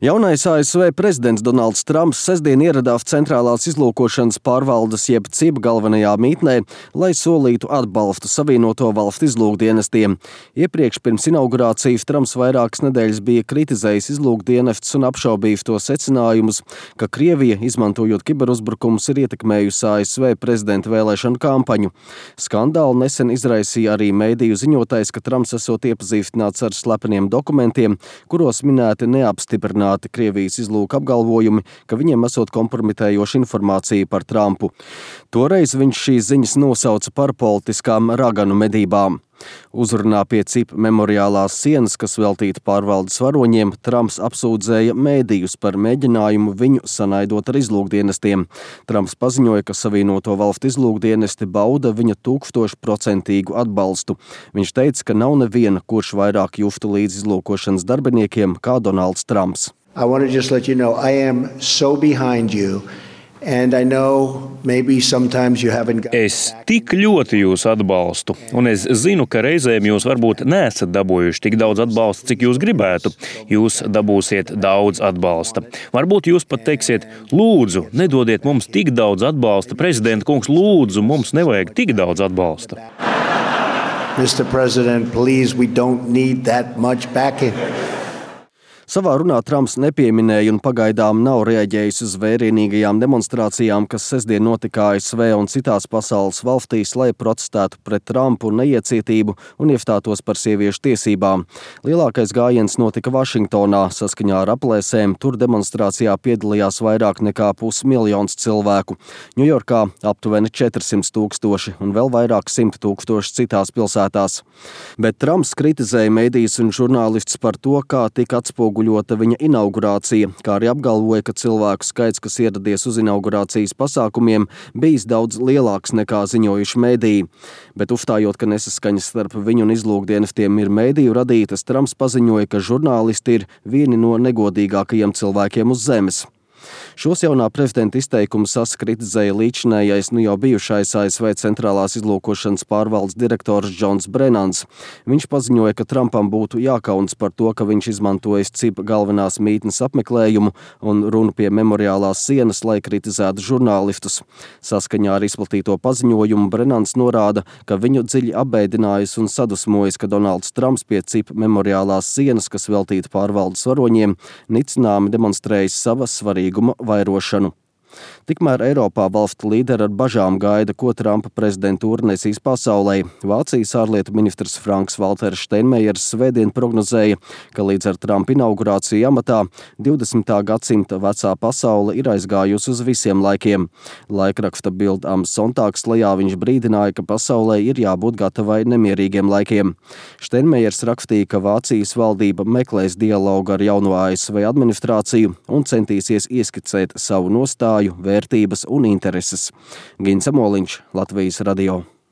Jaunais ASV prezidents Donalds Trumps sestdien ieradās Centrālās izlūkošanas pārvaldes jeb CIP galvenajā mītnē, lai solītu atbalstu Savienoto valstu izlūkdienestiem. Iepriekš pirms inaugurācijas Trumps vairākas nedēļas bija kritizējis izlūkdienestus un apšaubījis to secinājumus, ka Krievija, izmantojot kiberuzbrukumus, ir ietekmējusi ASV prezidenta vēlēšanu kampaņu. Skandālu nesen izraisīja arī mediju ziņotais, ka Trumps esot iepazīstināts ar slepeniem dokumentiem, kuros minēti neapstiprināti Krievijas izlūka apgalvojumi, ka viņiem esot kompromitējoša informācija par Trumpu. Toreiz viņš šīs ziņas nosauca par politiskām raganu medībām. Uzrunā pie CIP memoriālās sienas, kas veltīta pārvaldes varoņiem, Trumps apsūdzēja mēdījus par mēģinājumu viņu sanaidot ar izlūkdienestiem. Trumps paziņoja, ka Savienoto valstu izlūkdienesti bauda viņa 1000% atbalstu. Viņš teica, ka nav neviena, kurš vairāk justu līdz izlūkošanas darbiniekiem kā Donalds Trumps. I want to just let you know I am so behind you. And I know maybe sometimes you haven't got Es tik ļoti jūs atbalstu, un es zinu, ka reizēm jūs varbūt neesat dabūjuši tik daudz atbalsta, cik jūs gribētu. Jūs dabūsiet daudz atbalsta. Varbūt jūs pat teiksiet, lūdzu, nedodiet mums tik daudz atbalsta. Prezidenta kungs, lūdzu, mums nevajag tik daudz atbalsta. Mr. President, please, we don't need that much backing. Savā runā Trumps nepieminēja un pagaidām nav reaģējis uz vērienīgajām demonstrācijām, kas sestdien notika ASV un citās pasaules valstīs, lai protestētu pret Trumpu neiecietību un iestātos par sieviešu tiesībām. Lielākais gājiens notika Vašingtonā. Saskaņā ar aplēsēm tur demonstrācijā piedalījās vairāk nekā 500 000 cilvēku. Ņujorkā aptuveni 400 000 un vēl vairāk 100 000 citās pilsētās. Bet Trumps kritizēja medijas un žurnālistus par to, kā tika atspoguļota viņa inaugurācija, kā arī apgalvoja, ka cilvēku skaits, kas ieradies uz inaugurācijas pasākumiem, bijis daudz lielāks nekā ziņojuši mediji. Bet uzstājot, ka nesaskaņas starp viņu un izlūkdienestiem ir mediju radītas, Trumps paziņoja, ka žurnālisti ir vieni no negodīgākajiem cilvēkiem uz zemes. Šos jaunā prezidenta izteikumus kritizēja līdzinājais jau bijušais ASV Centrālās izlūkošanas pārvaldes direktors Džons Brennans. Viņš paziņoja, ka Trumpam būtu jākaunas par to, ka viņš izmantojis CIP galvenās mītnes apmeklējumu un runu pie memoriālās sienas, lai kritizētu žurnālistus. Saskaņā ar izplatīto paziņojumu Brennans norāda, ka viņu dziļi apbēdinājis un sadusmojis, ka Donalds Trumps pie CIP memoriālās sienas, kas veltīta pārvaldes varoņiem, nicināmi demonstrējis savas svarīguma vairošanu. Tikmēr Eiropā valstu līderi ar bažām gaida, ko Trumpa prezidentūra nesīs pasaulē. Vācijas ārlietu ministrs Franks Valters Steinmeiers svētdien prognozēja, ka līdz ar Trumpa inaugurāciju amatā 20. gadsimta vecā pasaule ir aizgājusi uz visiem laikiem. Laikraksta Bild am Sonntag lejā viņš brīdināja, ka pasaulē ir jābūt gatavai nemierīgiem laikiem. Steinmeiers rakstīja, ka Vācijas valdība meklēs dialogu ar jauno ASV administrāciju un centīsies ieskicēt savu nostāju, vērtības un intereses. Gins Amoliņš, Latvijas radio.